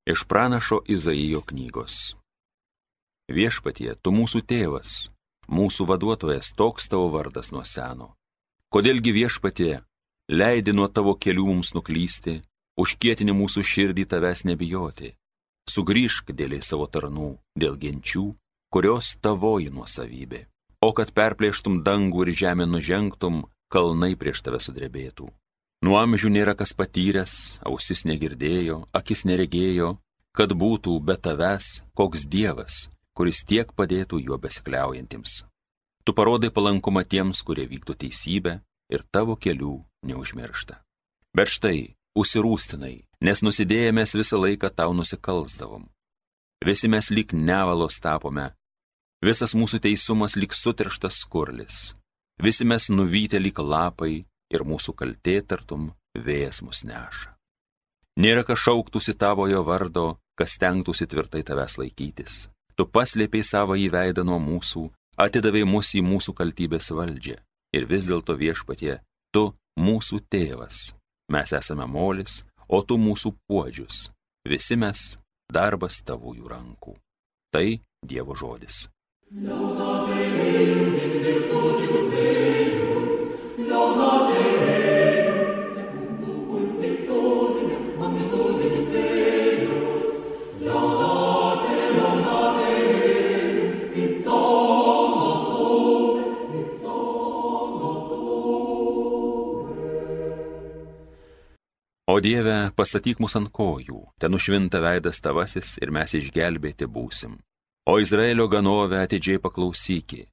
Iš pranašo Izaijo knygos. Viešpatie, tu mūsų tėvas, mūsų vaduotojas, toks tavo vardas nuo seno. Kodėlgi viešpatie, leidi nuo tavo kelių mums nuklysti, užkietini mūsų širdį tavęs nebijoti. Sugrįžk dėl savo tarnų, dėl genčių, kurios tavoji nuosavybė. O kad perplėštum dangų ir žemę nužengtum, kalnai prieš tave sudrebėtų. Nuo amžių nėra kas patyręs, ausis negirdėjo, akis neregėjo, kad būtų be tavęs koks dievas, kuris tiek padėtų juo besikliaujantiems. Tu parodai palankumą tiems, kurie vykdo teisybę ir tavo kelių neužmiršta. Bet štai, užsirūstinai, nes nusidėjęs visą laiką tau nusikalsdavom. Visi mes lyg nevalos tapome, visas mūsų teisumas lyg sutirštas skurlis, visi mes nuvyti lyg lapai ir mūsų kaltė tartum vėjas mus neša. Nėra kas šauktųsi tavojo vardo, kas stengtųsi tvirtai tavęs laikytis. Tu paslėpiai savo įveidą nuo mūsų, atidavai mus į mūsų kaltybės valdžią. Ir vis dėlto viešpatie, tu mūsų tėvas. Mes esame molis, o tu mūsų puodžius. Visi mes darbas tavųjų rankų. Tai Dievo žodis. O Dieve, pastatyk mus ant kojų, ten nušvinta veidas tavasis ir mes išgelbėti būsim. O Izraelio ganovę atidžiai paklausyki,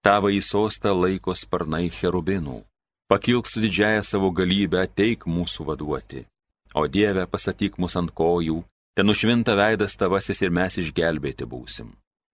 tavo į sostą laiko sparnai cherubinų. Pakilk su didžiaja savo galybę, ateik mūsų vaduoti. O Dieve, pastatyk mus ant kojų, ten nušvinta veidas tavasis ir mes išgelbėti būsim.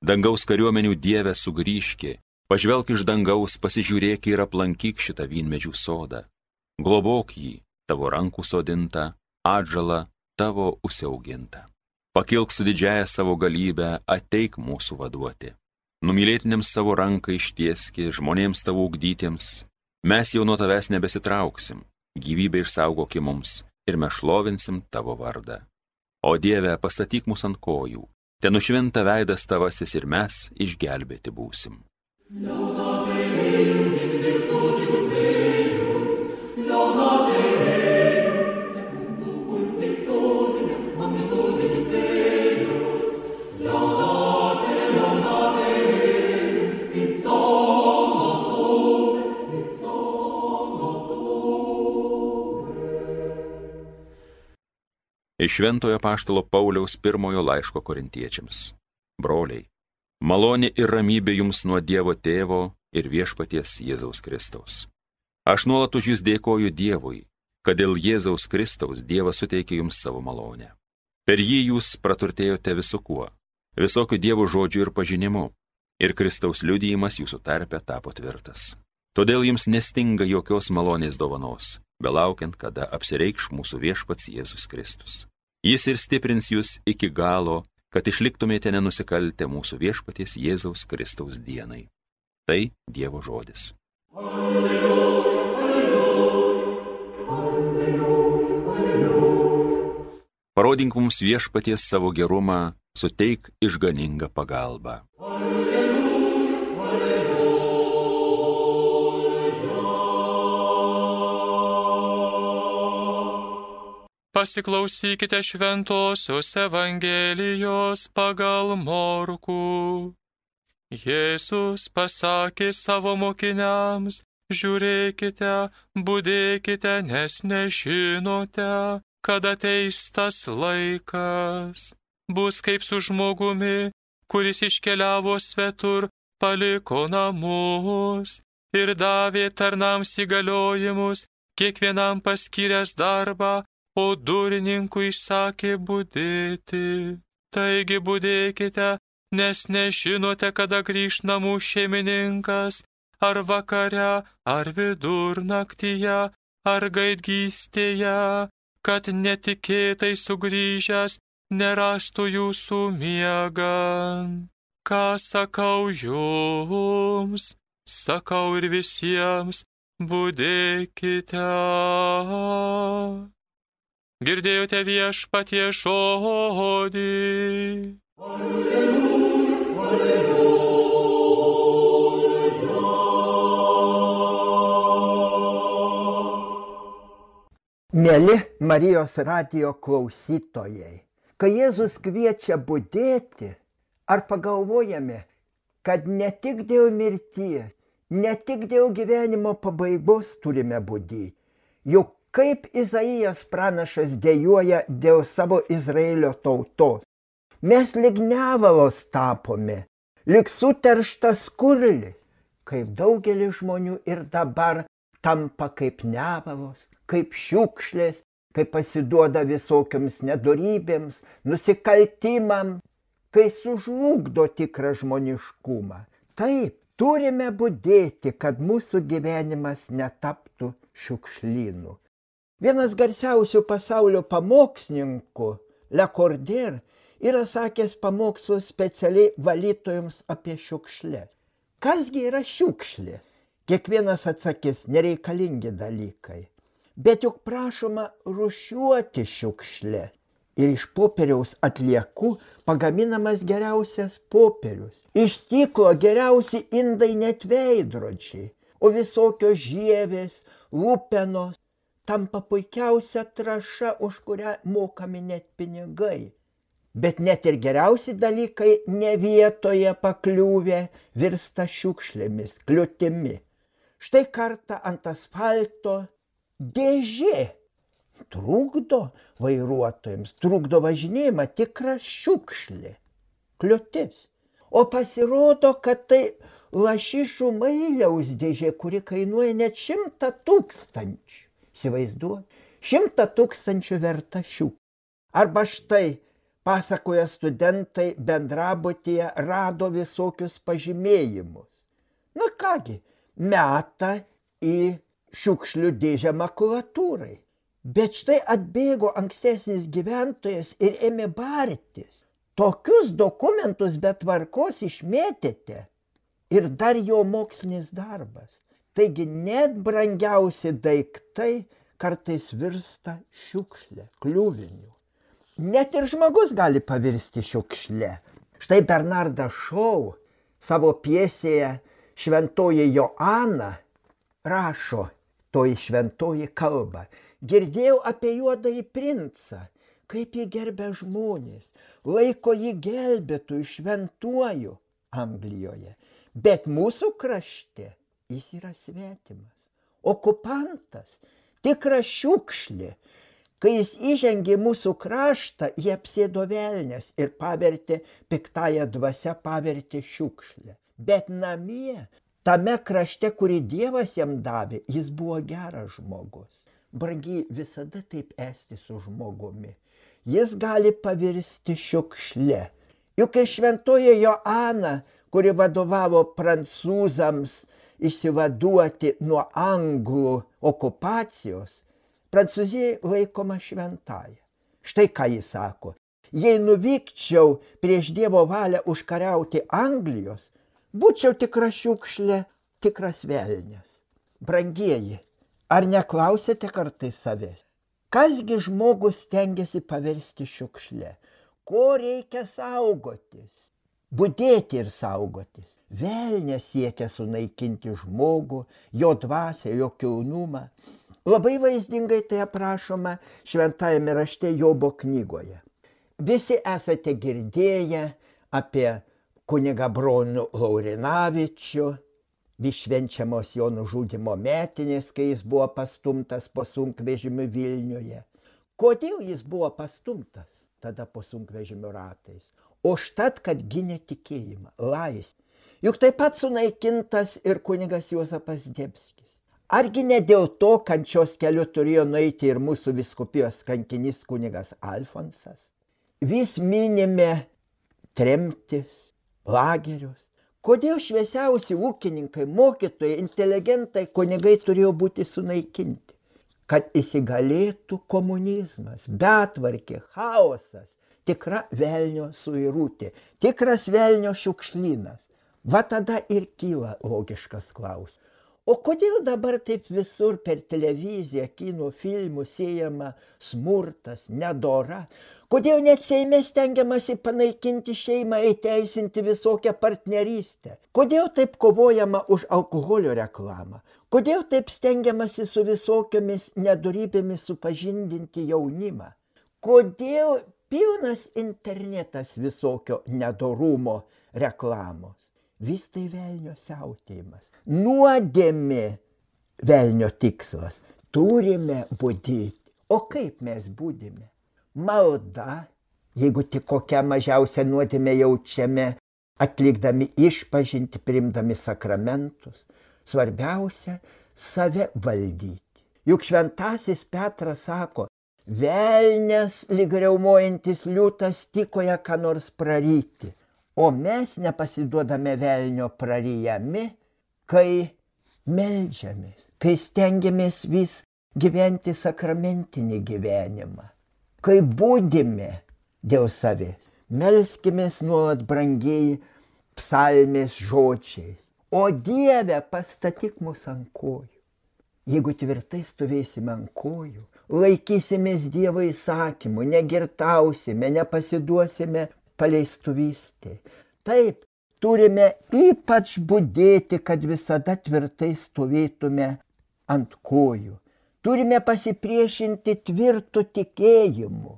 Dangaus kariuomenių Dieve sugrįžki, pažvelk iš dangaus, pasižiūrėk ir aplankyk šitą vynmedžių sodą. Globok jį, tavo rankų sodinta, atžala tavo užsiauginta. Pakilk su didžiaja savo galybę, ateik mūsų vaduoti. Numylėtiniams savo ranką ištieski, žmonėms tavo ugdytiems. Mes jau nuo tavęs nebesitrauksim, gyvybę išsaugoki mums ir mes šlovinsim tavo vardą. O Dieve, pastatyk mus ant kojų, ten nušvinta veidas tavasis ir mes išgelbėti būsim. Iš Šventojo apaštalo Pauliaus pirmojo laiško korintiečiams. Broliai, malonė ir ramybė jums nuo Dievo Tėvo ir viešpaties Jėzaus Kristaus. Aš nuolat už jūs dėkoju Dievui, kad dėl Jėzaus Kristaus Dievas suteikė jums savo malonę. Per jį jūs praturtėjote visu kuo, visokių Dievo žodžių ir pažinimu, ir Kristaus liudijimas jūsų tarpe tapo tvirtas. Todėl jums nestinga jokios malonės dovanos, belaukiant, kada apsireikš mūsų viešpats Jėzus Kristus. Jis ir stiprins jūs iki galo, kad išliktumėte nenusikaltę mūsų viešpaties Jėzaus Kristaus dienai. Tai Dievo žodis. Alleluja, alleluja, alleluja, alleluja. Parodink mums viešpaties savo gerumą, suteik išganingą pagalbą. Pasiklausykite šventosios Evangelijos pagal Morkų. Jėzus pasakė savo mokiniams, žiūrėkite, budėkite, nes nežinote, kada ateis tas laikas. Bus kaip su žmogumi, kuris iškeliavo svetur, paliko namus ir davė tarnams įgaliojimus, kiekvienam paskyręs darbą, o durininkui sakė budėti. Taigi budėkite, nes nežinote, kada grįš namų šeimininkas, ar vakare, ar vidurnaktyje, ar gaidgystėje, kad netikėtai sugrįžęs nerastų jūsų miegant. Ką sakau jums, sakau ir visiems, budėkite. Girdėjote Viešpaties žodį. Mieli Marijos radijo klausytojai, kai Jėzus kviečia budėti, ar pagalvojame, kad ne tik dėl mirties, ne tik dėl gyvenimo pabaigos turime budėti, juk kaip Izaijas pranašas dejuoja dėl savo Izraelio tautos. Mes lyg nevalos tapome, lyg suterštas skurlis, kaip daugelis žmonių ir dabar tampa kaip nevalos, kaip šiukšlės, kai pasiduoda visokiams nedorybėms, nusikaltimams, kai sužlugdo tikrą žmoniškumą. Taip, turime budėti, kad mūsų gyvenimas netaptų šiukšlynu. Vienas garsiausių pasaulio pamokslininkų, Le Cordaire, yra sakęs pamokslus specialiai valytojams apie šiukšlės. Kasgi yra šiukšlė? Kiekvienas atsakys, nereikalingi dalykai. Bet juk prašoma rūšiuoti šiukšlę. Ir iš popieriaus atliekų pagaminamas geriausias popierius. Iš stiklo geriausi indai net veidrodžiai, o visokios žievės, lupenos tampa puikiausia trąša, už kurią mokami net pinigai. Bet net ir geriausi dalykai ne vietoje pakliūvę virsta šiukšlėmis, kliūtimi. Štai kartą ant asfalto dėžė trukdo vairuotojams, trukdo važinėjimą, tikra šiukšlė, kliūtis. O pasirodo, kad tai lašišų mailiaus dėžė, kuri kainuoja net 100 000. Įsivaizduoju, 100 000 verta šiukšlė. Arba štai, pasakoja studentai, bendrabutyje rado visokius pažymėjimus. Na kągi, meta į šiukšlių dėžę makulatūrai. Bet štai atbėgo ankstesnis gyventojas ir ėmė bartis. Tokius dokumentus be tvarkos išmėtėte. Ir dar jo mokslinis darbas. Taigi net brangiausi daiktai kartais virsta šiukšlė, kliuviniu. Net ir žmogus gali pavirsti šiukšlė. Štai Bernardas Šou savo pjesėje Šventoji Joana rašo, toji šventoji kalba. Girdėjau apie juodąjį princą, kaip jį gerbia žmonės, laiko jį gelbėtojų, šventuoju Anglijoje. Bet mūsų krašte jis yra svetimas, okupantas, tikra šiukšlė. Kai jis įžengė mūsų kraštą, jie apsėdo velnias ir pavertė piktąją dvasią, pavertė šiukšlę. Bet namie, tame krašte, kurį Dievas jam davė, jis buvo geras žmogus. Brangiai, visada taip esti su žmogumi. Jis gali pavirsti šiukšle. Juk ir šventoji Joana, kuri vadovavo prancūzams išsivaduoti nuo anglų okupacijos, Prancūzijai laikoma šventąja. Štai ką jis sako. Jei nuvykčiau prieš Dievo valią užkariauti Anglijos, būčiau tikra šiukšlė, tikras velnias. Brangieji, ar neklausėte kartais savęs? Kasgi žmogus stengiasi paversti šiukšlę? Ko reikia saugotis? Budėti ir saugotis. Velnias siekia sunaikinti žmogų, jo dvasią, jo kilnumą. Labai vaizdingai tai aprašoma šventajame rašte Jobo knygoje. Visi esate girdėję apie kunigą Bronių Laurinavičių, vis švenčiamos jo nužudymo metinės, kai jis buvo pastumtas po sunkvežimiu Vilniuje. Kodėl jis buvo pastumtas tada po sunkvežimio ratais? Užtat, kad gynė tikėjimą, laisvę. Juk taip pat sunaikintas ir kunigas Juozapas Zdebskis. Argi ne dėl to kančios keliu turėjo nueiti ir mūsų vyskupijos kankinys kunigas Alfonsas? Vis minime tremtis, lagerius. Kodėl šviesiausi ūkininkai, mokytojai, inteligentai, kunigai turėjo būti sunaikinti? Kad įsigalėtų komunizmas, betvarkė, chaosas, tikra velnio suirutė, tikras velnio šiukšlynas. Va tada ir kyla logiškas klausimas. O kodėl dabar taip visur per televiziją, kino filmus siejama smurtas, nedora? Kodėl net Seime stengiamasi panaikinti šeimą, įteisinti visokią partnerystę? Kodėl taip kovojama už alkoholio reklamą? Kodėl taip stengiamasi su visokiomis nedorybėmis supažindinti jaunimą? Kodėl pilnas internetas visokio nedorumo reklamos? Vis tai velnio siautėjimas. Nuodėmė velnio tikslas. Turime budėti. O kaip mes budime? Malda, jeigu tik kokią mažiausią nuodėmę jaučiame, atlikdami išpažintį, priimdami sakramentus. Svarbiausia – save valdyti. Juk šventasis Petras sako, velnias lyg riaumojantis liūtas tykoja ką nors praryti. O mes nepasiduodame velnio prarijami, kai meldžiamės, kai stengiamės vis gyventi sakramentinį gyvenimą, kai budime dėl savęs. Melskimės nuolat brangieji psalmės žodžiais. O Dieve, pastatyk mus ant kojų. Jeigu tvirtai stovėsime ant kojų, laikysimės Dievo įsakymų, negirtausime, nepasiduosime paleistuvystė. Taip, turime ypač budėti, kad visada tvirtai stovėtume ant kojų. Turime pasipriešinti tvirtų tikėjimu.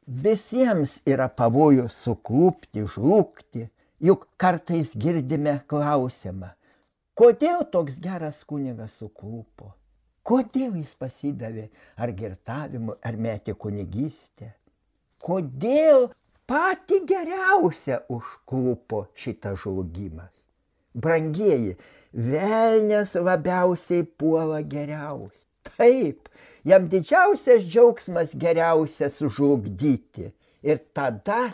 Visiems yra pavojus suklupti, žlugti, juk kartais girdime klausimą, kodėl toks geras kunigas suklupo? Kodėl jis pasidavė ar girtavimui, ar metė kunigystę? Kodėl patį geriausią užklupo šitas žlugimas? Brangieji, velnias labiausiai puola geriausiai. Taip, jam didžiausias džiaugsmas geriausia sužlugdyti. Ir tada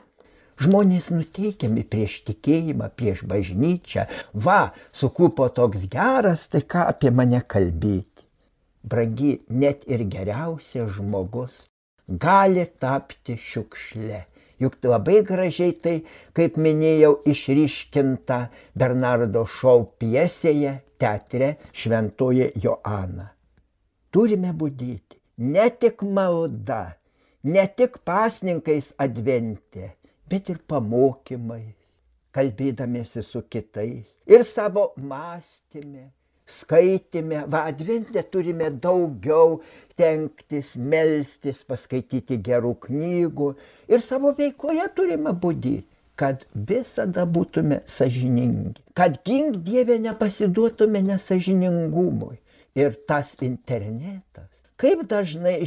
žmonės nuteikiami prieš tikėjimą, prieš bažnyčią. Va, suklupo toks geras, tai ką apie mane kalbėti? Brangi, net ir geriausias žmogus gali tapti šiukšle. Juk labai gražiai tai, kaip minėjau, išryškinta Bernardo Šou pjesėje teatre Šventoji Joana. Turime budėti ne tik malda, ne tik pasninkais advente, bet ir pamokymais, kalbėdamiesi su kitais ir savo mąstyme. Skaitime, advente turime daugiau tenktis, melstis, paskaityti gerų knygų ir savo veikloje turime budėti, kad visada būtume sąžiningi, kad gink Dieve nepasiduotume nesąžiningumui. Ir tas internetas, kaip dažnai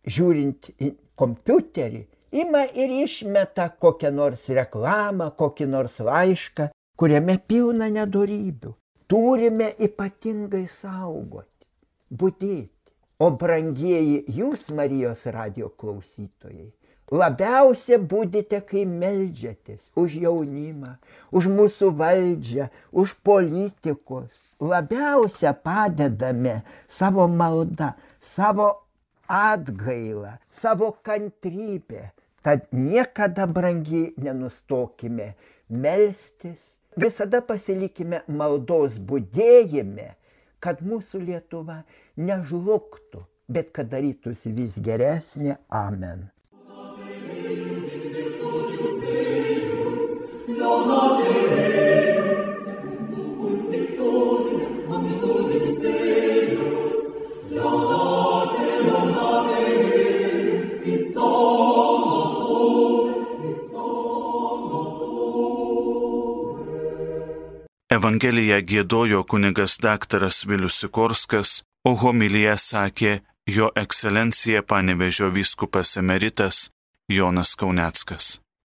žiūrint į kompiuterį, ima ir išmeta kokią nors reklamą, kokį nors laišką, kuriame pilna nedorybių. Turime ypatingai saugoti, budėti. O brangieji, jūs, Marijos radijo klausytojai, labiausia budite, kai meldžiatės už jaunimą, už mūsų valdžią, už politikus. Labiausia padedame savo maldą, savo atgailą, savo kantrybę. Tad niekada, brangiai, nenustokime melstis. Visada pasilikime maldos budėjime, kad mūsų Lietuva nežlugtų, bet kad darytųsi vis geresnė. Amen. Evangeliją giedojo kunigas daktaras Vilius Sikorskas, o homiliją sakė jo ekscelencija Panevėžio vyskupas emeritas Jonas Kauneckas.